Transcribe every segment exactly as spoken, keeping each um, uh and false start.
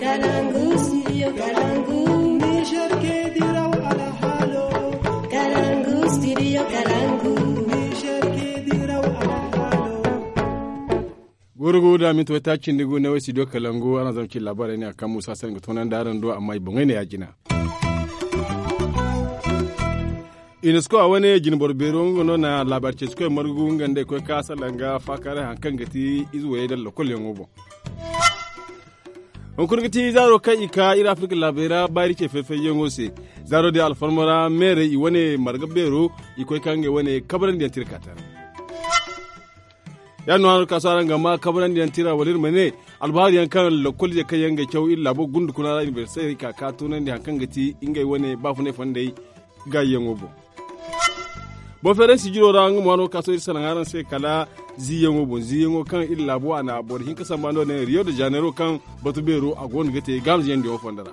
Kalangu, studio Kalangu. Niger ke diraw alhalo. Kalangu, studio Kalangu. Niger ke diraw alhalo. Gurugu da minti wata cindi gu ne wai studio Kalangu, ana zama ci labarai ne a kan musa sai ga tonan da aran do amma i bangay ne ya jina. Unesco a wane jinboro beero nga no na labaari ceeci koy margu nga nda i koy ka salanga faakaaray hari kaŋ ga ti ize wayey da lokol yaŋo boŋ. Hunkuna ga ti zaaro kaŋ i ka iri afirka laabey ra baari ce fay-fay yaŋo se. Zaaro din alfarma ra meerey i wane marga beero i koy ka ngey wane kabrandi yaŋ tirka tara. Ya no hano ka so araŋ ga ma kabrandi yaŋ tira wala iri ma ne albahaari yaŋ kaŋ lokol ize kaŋ yaŋ ga caw iri laabo gundukuna ra inibersitey ka ka tunandi hari kaŋ ga ti ngey wane baafunay fondey gaayi yaŋo boŋ. Boferensi jiro ra nga mo hano ka so iri salaŋ araŋ se kala ziiyaŋo boŋ ziiyaŋo kaŋ iri laabo a na boro hinka samba no din rio de janeiro kaŋ batu beero a go no ga te gaamziyaŋ diyaŋo fondo ra.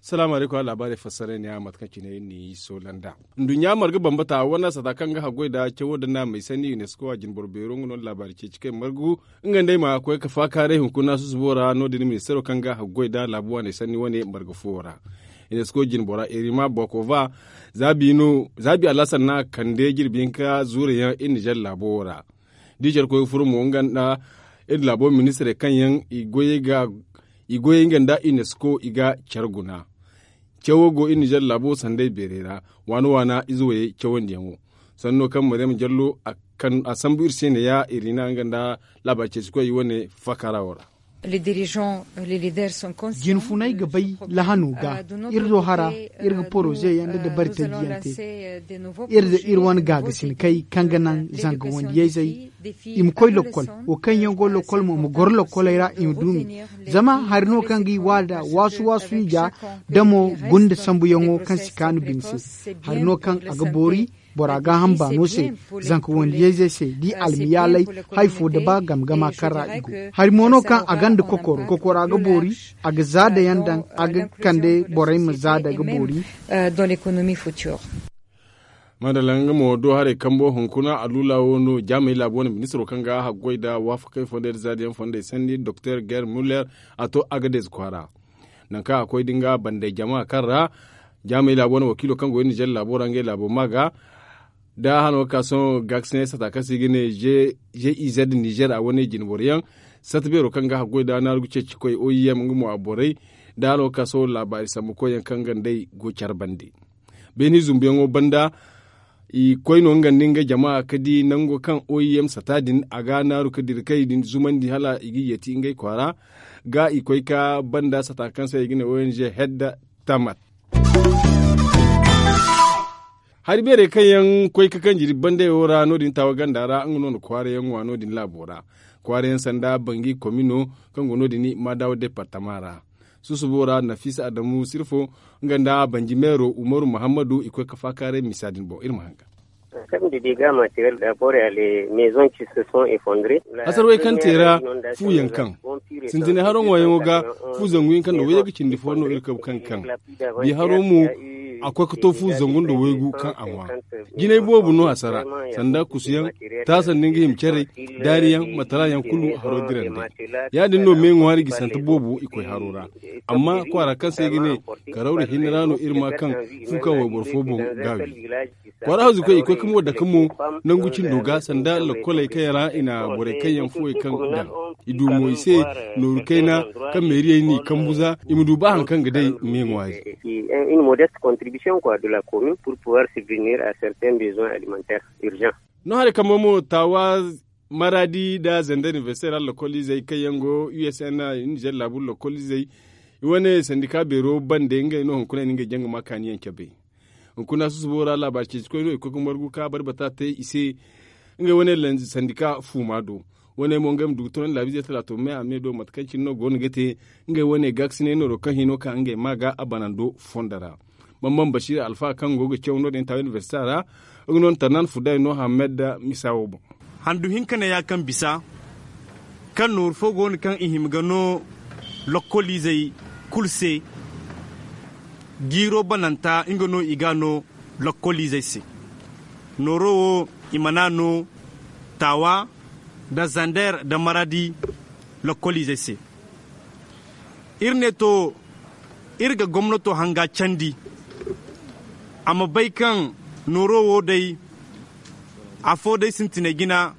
Salaamu alaykum a laabaarey fassaray ne a mate kaŋ cine iri n'i soolanda. Nduɲɲa marga bambata wane sata kaŋ ga haggoy nda cawo nda naamey sanni unesco a jinboro beero nga no laabaari ceeci kay margu. Nga nd'ey ma koy ka faakaaray hunkuna susubo ra no- din ministaro kaŋ ga haggoy nda laabu waaney sanni wane marga fuwo ra. Unesco jinbora erima bokova zaabi alasan no a kande jirbi hinka zuurey yaŋ iri nizer laabo wo ra. Da i care koy ga furo mo nga nda iri laabo ministarey kaŋ yaŋ i goyey nga nda unesco i ga care guna. Cawo go iri nizer laabo sanday beerey ra waana waana ize wayey cawandiyaŋo. Sanno kaŋ maryam jallo a sambu iri se ne ya iri na nga nda laabaari ceeci koy wane faakara wo ra. Jinfunay ga bay lahano ga iri do hara iri ga poroze yaŋ nda dabari taji yaŋ te. Iri da iri wane gaagasin kay kaŋ ga naŋ zanga wandiyayzey i ma koy lokkol wo kaŋ yaŋ go lokkol mo ma goro lokkoley ra i ma duumi. Zama hari no kaŋ ga i waada waasu waasu i ga damo gunda sambuyaŋo kaŋ si kaanu bine se. Hari no kaŋ a ga boori bora gaaham baano se zanka wandiyayzey se da i almiyaalay. Hari fo da ba game gama kaŋ ra i go hari mo no kaŋ a gonda kokoro kokora ga boori a ga zaada yaŋ daŋ a ga kande borey ma zaada ga boori. Madalla nga mo do haray kambo hunkuna a lula wo no jaamey laabu wane ministiro kaŋ ga haggoy nda waafakey fondey nda zaadiyaŋ fondey sanni doktor ger muller a to agadez kwaara. Nangu kaŋ a koy da nga bandey jama kaŋ ra jaamey laabu wane wakiilo kaŋ go iri nizer laabo ra ngey laabo ma ga da hano ga ka sohõ gaakasinay sata kaŋ se i ga ne. G i z nizer a wane jinboro yaŋ sata beero kaŋ ga haggoy nda naaru ga ceeci koy o i m nga mo a borey da hano ga ka sohõ laabaari sambu koy yaŋ kaŋ ga nd'ey go care bande. Beeni zumbuyaŋo banda i koy no nga nda nga jama ga di nango kaŋ o i m sata din a ga naaru ga dira kay din zumandi hala i ga yeeti ngey kwaara ga i koy ka banda sata kaŋ se i ga ne o n g hedda tamat. Hari beerey kaŋ yaŋ koy ka kanji iri bandey wo ra no- din taawa ganda ra nga no na kwaara yaŋ ŋwa no- din laabo ra kwaara yaŋ sanda bangi komino kaŋ go no- din maadawa departama ra. Susubo ra nafisa adamu sirfo nga nda banji meero umaru muhammadu i koy ka faakaaray misa din boŋ iri ma hanga. Hasarwey kaŋ te ra fu yaŋ kaŋ sintinay haro ŋwaayaŋo ga fu zangu hinka nda wayye ga cindi fo no iri kabu kaŋ kaŋ bi haro mo a koy ga to fu zangu nda waygu kaŋ a ŋwa. Jinay boobo no hasara sanda kusuyaŋ taasandi nga hima carey daariyaŋ matala yaŋ kulu haro dirandi. Ya- din no me ŋwaari gisante boobo i koy haro ra. Amma kwaara kaŋ se i ga ne karawra hinne ra no iri ma kaŋ fu kaŋ wayboro fo boŋ ga wi. Kwaara hawzu koy i koy ka mo dake mo nangu cindo ga sanda lakoley kaŋ yaŋ ra i na borey kaŋ yaŋ fuwey kaŋ daŋ i du mo i se nooru kayna kaŋ meeriyey n'i kambu za i ma du ba hari kaŋ ga day me ŋwaari. Une modeste contribution quoi de la commune pour pouvoir subvenir à certains besoins alimentaires urgents. No haray kambe mo taawa maraadi nda zender inibersite ra lokoliizey kaŋ yaŋ go u s n nizer laabu lokoliizey i wane sandika beero bande ngey no hunkuna i na ngey jaŋ ga ma kaaniyaŋ cabe. Hunkuna susubo ra laabaari ceeci koy no i koy ga margu ka barbata te i se ngey wane sandika fuuma do. Wane mo ngey ma du ga tunandi laabiizey talaato me a me do mate kaŋ cine no go no ga te ngey wane gaakasinay nooro kaŋ hino ka ngey ma ga a banando fondo ra. Bambam basiira alfa kaŋ go ga caw no- din taawa inibersita ra nga no na tarnan fuday no hamed da misa wo boŋ. Handu hinka ne ya kaŋ bisa kaŋ nooru fo go no kaŋ i hima ga no lokkoliizey kulu se. Jiiro bananta nga no i ga a no lokkoliizey se. Nooro wo i mana no taawa nda zander nda maradi. Lokkoliizey se. Iri ne to iri ga gomnato hanga candi a ma bay kaŋ nooro wo day afo day sintinay jina.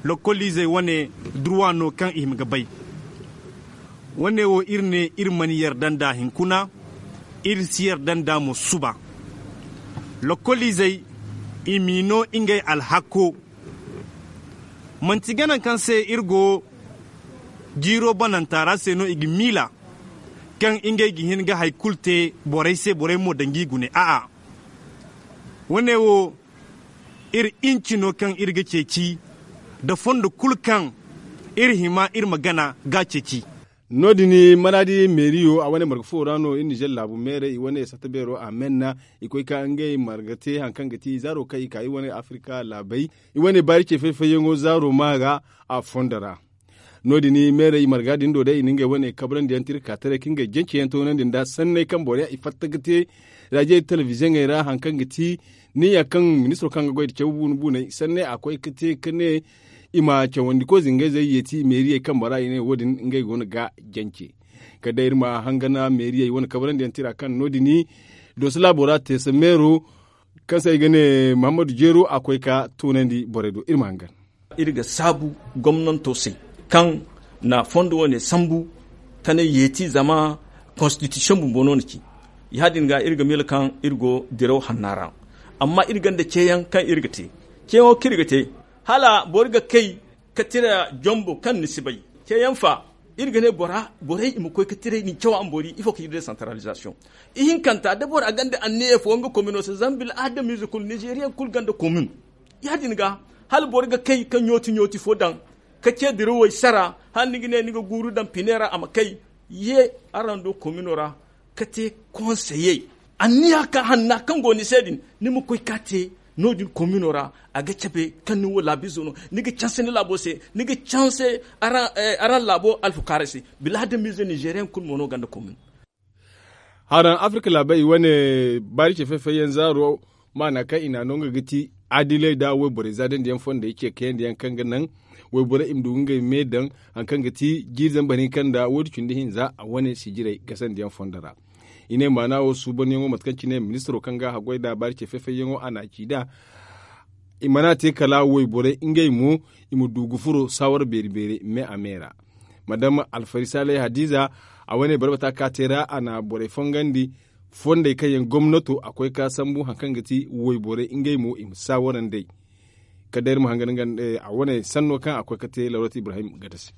Lokkoliizey wane durwa no kaŋ i hima ga bay. Wane wo iri ne iri mana yarda nd'a hinkuna. Iri si yarda nd'a mo suba. Lokkoliizey i m'i no ngey alhakko. Manti gana kaŋ se iri go jiiro bananta ra se no i ga miila kaŋ ngey ga hin ga hari kulu te borey se borey mo daŋ g'i gune a'a. Wane wo iri inci no kaŋ iri ga ceeci nda fondo kulu kaŋ iri hima iri ma gana ga ceeci. No- din maraadi meeriyo a wane marga fo ra no iri nizer laabu meerey i wane sata beero a menna i koy ka ngey marga te hari kaŋ ga ti zaaro kaŋ i ka iri wane afirka laabey i wane baari ce fay-fayyaŋo zaaro ma ga a fondo ra. No- din meerey i marga din do day i na ngey wane kabrandi yaŋ te iri ka taray ka ngey jance yaŋ toonandi nda sanney kaŋ boro yaŋ i fatta ga te raajey telebiziyoŋey ra hari kaŋ ga ti niya kaŋ ministiro kaŋ ga goy nda caw buuna buuney sanney a koy ga te ga ne i ma cawandi koy zingayzey yeeti meeriyey kambe ra i ne wo- din ngey go no ga jance. Kala day iri ma hangana meeriyey wane kabrandi yaŋ tira kaŋ no- din dooso laabo ra teesa meero kaŋ se i ga ne muhammadu jeero a koy ga toonandi borey do iri ma hangan. Iri ga saabu gomnanto se kaŋ na fondo wane sambu ka ne yeeti zama konstitisiyoŋ bumbo no na ci. Ya- din ga iri ga miila kaŋ iri go diraw hanna ra. Amma iri gonda ceeyaŋ kaŋ iri ga te. Ceeyaŋo kaŋ iri ga te hala boro ga kay ka tira jombo kaŋ ni si bay. Ceeyaŋ fa iri ga ne borey i ma koy ka tiray din caw a ma boori ifo ka iri desantaralizasiyoŋ. Ihinkanta da bora gonda anniya fo nga komino se zama bil adamize kulu nizeriyaŋ kulu gonda komin. Ya- din ga hala boro ga kay ka ɲooti ɲooti fo daŋ ka ce dirawey sara hala ni ga ne ni ga guuru daŋ pine ra a ma kay. Ye araŋ do komino ra ka te konseyey anniya ka hanna kaŋ go ni se din ni ma koy ka te no- din komino ra. A ga cabe kaŋ ni wo laabizo no ni ga canse ni laabo se ni ga canse araŋ laabo alfukaaray se. Bilaadamize nizeriyaŋ kulu mo no gonda komin. Haraŋ afirka laabey i wane baari ce fay-fayyaŋ zaaro maana kaŋ i n'a no nga ga ti adiley nda wayborey zaadandiyaŋ fondey ce kayandi yaŋ kaŋ ga naŋ wayborey i ma du ga ngey me daŋ hari kaŋ ga ti jiiri zambar hinka nda waydu cindi hinza a wane sijirey gasandiyaŋ fondo ra. I ne maana wo suubanyaŋo mate kaŋ cine ministiro kaŋ ga a goy nd'a baari ce fay-fayyaŋo a n'a ci nd'a. I mana te kala wayborey ngey mo i ma du ga furo saawara beeri-beeri me a me ra. Madam alfari saalay hadiza a wane barbata ka te ra a na borey fongandi fondey kaŋ yaŋ gomnato a koy ka sambu hari kaŋ ga ti wayborey ngey mo i ma saawara nd'ey. Kala day iri ma hangan a wane sanno kaŋ a koy ka te lawrat ibrahim gada se.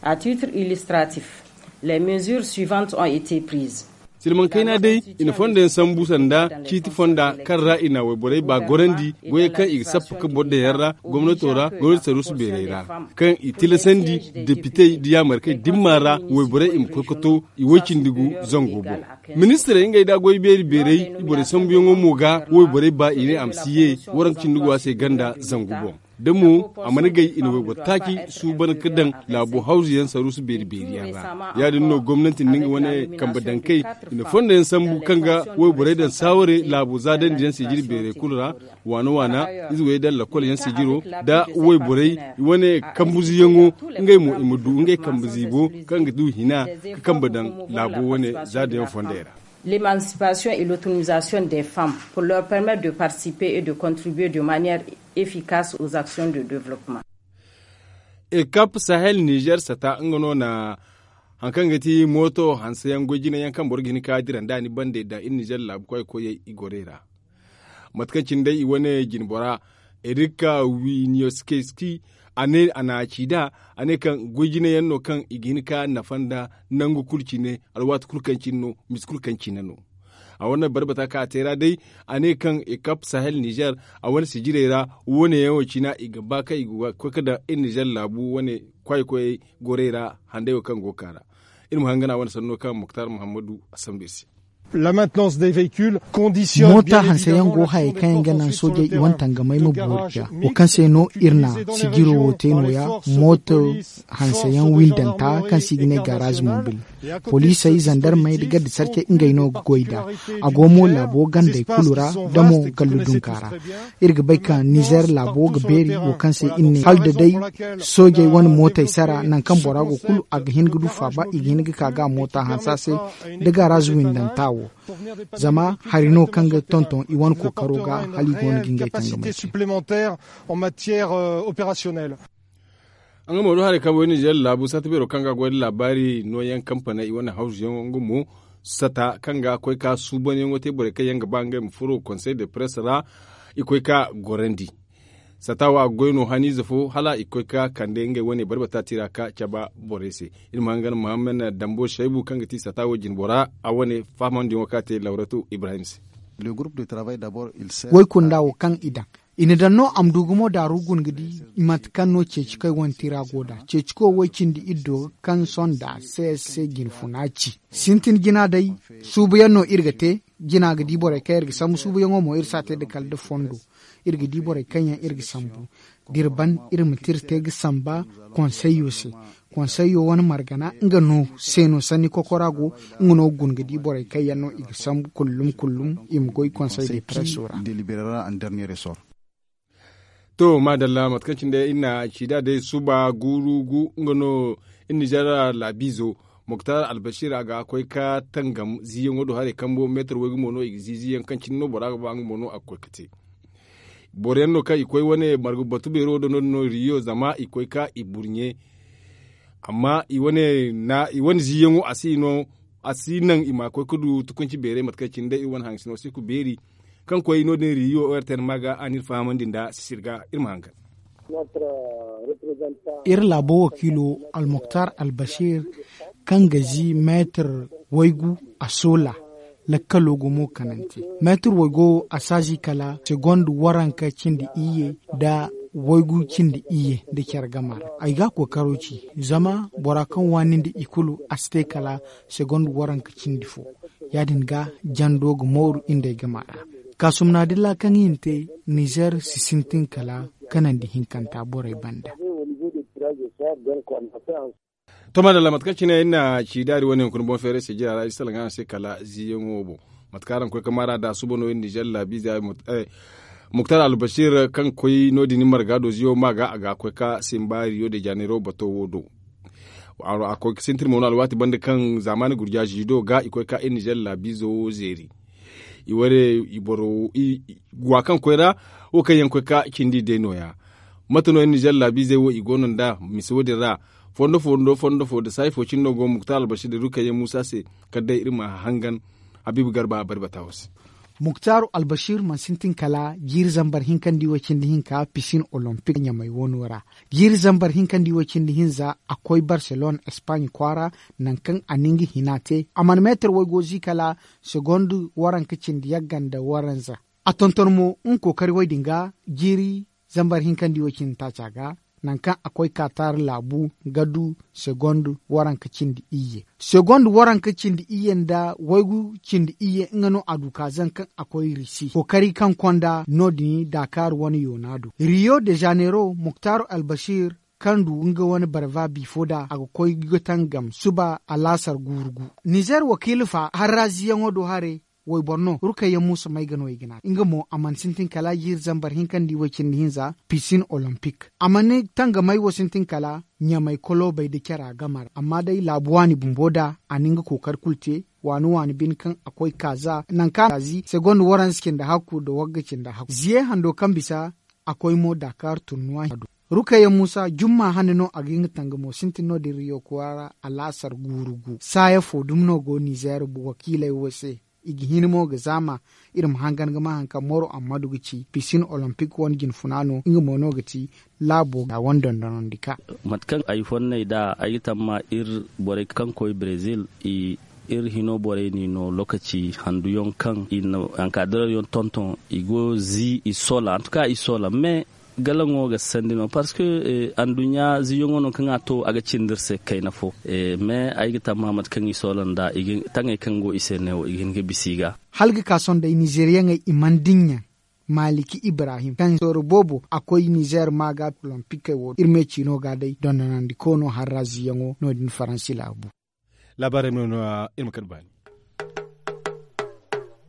A titre illustratif, les mesures suivantes ont été prises. Silmaŋ kayna day i na fondo yaŋ sambu sanda ciiti fonda kaŋ ra i na wayborey ba gorandi goyey kaŋ i ga sappa ka boro daŋ yaŋ ra gomnato ra gomnati saruusu beerey ra kaŋ i tilasandi depitey nda yaamarkey dimma ra wayborey i ma koy ka to i woy-cindi gu zango boŋ. Ministirey ngey nda goy beeri beerey i borey sambuyaŋo mo ga wayborey ba i ne a ma si ye waranka cindi go a se ganda zangu boŋ. Da mo a mana gay i na wayboro taaci suuban ka daŋ laabo hawzu yaŋ saruusu beeri beeri yaŋ ra. Ya- din no gomnanti nda nga wane kambe dankey i na fondo yaŋ sambu kaŋ ga wayborey daŋ saaware laabo zaadandi yaŋ se jiri beerey kulu ra waana waana ize wey daŋ lakkol yaŋ se jiro nda wayborey wane kambuziyaŋo ngey mo i ma du ngey kambe ziibo kaŋ ga du hina ka kambe daŋ laabo wane zaada yaŋ fondey ra. L'émancipation et l'autonomisation des femmes pour leur permettre de participer et de contribuer de manière efficace aux actions de développement. Ekap sahel nizer sata nga no na hari kaŋ ga ti mooto hanse yaŋ goy jine yaŋ kaŋ boro ga hin ka dira nda ni bande daŋ iri nizer laabu koy koyey i gorey ra. Mate kaŋ cine day i wane jinbora erika winiyoskeski a ne a na a ci nd'a a ne kaŋ goy jine yaŋ no kaŋ i ga hin ka nafa nda nangu kulu cine alwaati kulu kaŋ cine no misi kulu kaŋ cine no. A wane barbata kaŋ a te ra day a ne kaŋ ekap sahel nizer a wane sijirey ra wane yaŋo cina i ga ba kaŋ i ga koy ka daŋ iri nizer laabu wane kwaay koyey gorey ra handay wo kaŋ go ga ka ra. Iri ma hangan a wane sanno kaŋ muktar muhammadu a sambu iri se. Moota hanseyaŋ go hayey kaŋ yaŋ ga naŋ soojey i wane tangamey ma boori ga wo kaŋ se no iri na sijiro wo te nooya. Moota hanseyaŋ windanta kaŋ se i ga ne garaazi mobil, poliisey zandarmey nda garde sarcey ngey no ga goy nd'a. A go mo laabo gandey kulu ra, da mo gallu dunka ra. Iri ga bay ka nizer laabo ga beeri wo kaŋ se iri ne hala da day soojey wane mootey sara nangu kaŋ bora go kulu a ga hin ga du faaba i ga hin ga ka ga a moota hanse a se. Da garaazi windanta wo zama hari no kaŋ ga tonton i wane kookaro ga hala i go no ga ngey tangamay te. Nga mo do haray kaŋ boy nizer laabu sata beero kaŋ ga goy da laabaari nooyaŋ kampaney i wane hawzuyaŋo nga mo sata kaŋ ga koy ka suubanyaŋo te borey kaŋ yaŋ ga ba ngey ma furo konsey de press ra. I koy ka gorandi sata wo a ga goy no haniize fo hala i koy ka kande ngey wane barbata tira ka cabe borey se. Iri ma hangan muhammad dambo shaybu kaŋ ga ti sata wo jinbora a wane fahamandiyaŋo kaŋ a te lawratu ibrahim se. Woy kunda wo kaŋ i daŋ i na daŋ no a ma du gumo daaru guna ga di mate kaŋ no ceeci kaŋ i wane tira go nd'a ceeci koy woy cindi iri do ga kaŋ sonda c s c jinfuna ci. Sintin jina day suubuyaŋ no iri ga te. Jina ga di borey kaŋ iri ga sambu suubuyaŋo mo iri si a te nda kala nda fondo. Iri ga di borey kaŋ yaŋ iri ga sambu da iri ban iri ma te iri te ga samba konseyyo se. Konseyyo wane margana nga no se no sanni kokora go. Nga no ga guna ga di borey kaŋ yaŋ no i ga sambu kullum kullum i ma goy konsey de preso ra. To maadalla mate kaŋ cine day iri na ci da day suba guuru gu nga no iri nizer laabiizo moktar albasir a ga koy ka tangam ziiyaŋo do haray kambo meetar waygu mo no i ga ziiziiyaŋ kaŋ cine no bora ga ba nga mo no a ga koy ka te. Boro yaŋ no kaŋ i koy wane margu batu beero do no- din no riyo zama i koy ka i burɲe. Amma i wane ziiyaŋo a si naŋ i ma koy ga du tukunci beeray mate kaŋ cine day iri wane haŋ sino si ga beeri. Kaŋ koy no- din riyo o r t n ma ga a na iri fahamandi nda sisir ga iri ma hangan. Iri laabo wakiilo almuktar albasir kaŋ ga zi meetar waygu a soola. Lakkalo gumo kanante meetar waygo a si a zi kala segond waranka cindi iyye nda waygu cindi iyye nda care gama ra. Ay ga a kookaro ci zama bora kaŋ waani nda i kulu a si te kala segond waranka cindi fo. Ya- din ga jando ga mooru iri nd'ey gama ra. Kaasumna dilla kaŋ i na te nizer si sintin kala kanandi hinkanta borey banda. To maadalla mate kaŋ cine iri na ci daari wane hunkuna boŋ feeray se jira ra iri salaŋ araŋ se kala ziiyaŋo boŋ. Mate kaŋ araŋ koy ga maara da suba no iri nizer laabiize muktar albasir kaŋ koy no- din marga do ziyo ma ga a ga koy ga simba riyo de janeiro bato wo do. A koy ga sintin mo no alwaati banda kaŋ zaamaani gurja ziido ga i koy ga ka iri nizer laabiizo zeeri. I wane i boro i gwa kaŋ koy ra wo kaŋ yaŋ koy ga cindi day nooya. Mate no iri nizer laabiizey wo i go no nda mise wo- din ra. Fondo fondo fondo fo nda saayi fo cine no go muktar albasir da rukayya muusa se kala day iri ma hangan habiibu garba a bari bata wo se. Muktar albasir mana sintin kala jiiri zambar hinka nda iway cindi hinka pisin olompik ɲamey wano ra. Jiiri zambar hinka nda iway cindi hinza a koy barselone espaaɲe kwaara. Nangu kaŋ a na nga hina te a mana meetar waygo zi kala segond waranka cindi yagga nda waranza. A tonton mo nga kookari way din ga jiiri zambar hinka nda iway cindi taaca ga. Nangu kaŋ a koy kaatar laabu ga du segond waranka cindi iyye segond waranka cindi iyye nda waygu cindi iyye nga no a du ka zaŋ kaŋ a koy risi kookari kaŋ konda no- din daakaar wane yoona do rio de janeiro muktar albasir kaŋ du nga wane barva biifo da a ga koy ga tangam suba alaasar guuru gu. Nizer wakiila fa harraziyaŋo do haray wayboro no rukayya muusa may ga no i ga ne a te nga mo a mana sintin kala jiiri zambar hinka nda iway cindi hinza pisin olompik a mana tangamay wo sintin kala ɲamay koloobay nda cara game ra amma day laabu waani bumbo da a na nga kookari kulu te. Waani waani bine kaŋ a koy kaaza nangu kaŋ a zi segond waranza cindi hakku nda wagga cindi hakku ziye hando kaŋ bisa a koy mo daakaar turnuwa hina do. Rukayya muusa jumma hane no a ga nga tangamo sintin no- din riyo kwaara alaasar guuru gu saaya fo dumi no go nizer wakiiley wo se. I ga hin mo ga zaama iri ma hangan ga ma hari kaŋ moro ammadu ga ci pisin olompik wane jinfuna no nga mo no ga ti laabo ga wane dondonandi ka. Mate kaŋ ay fonnay nd'a ay ga tamma iri borey kaŋ koy brezil i iri hino borey n'i no lookaci handuyaŋ kaŋ i na ankadiraryaŋ tonton i go zi i soola antuka i soola me. Galaŋo ga sandi no parce que anduɲɲa ziyaŋo no kaŋ a to a ga cindi iri se kayna fo. Mais ay ga tamma mate kaŋ i soola nd'a taŋey kaŋ go i se neewo i ga hin ga bisa i ga. Hala ga ka sohõ day nizeriyaŋey i mana dinya. Maliki ibrahim kaŋ sooro boobo a koy nizer ma ga olompikey wo iri me ciino ga day dondonandikoono harra ziyaŋo no- din faransi laabu. Laabaarey ma no iri ma kande baani.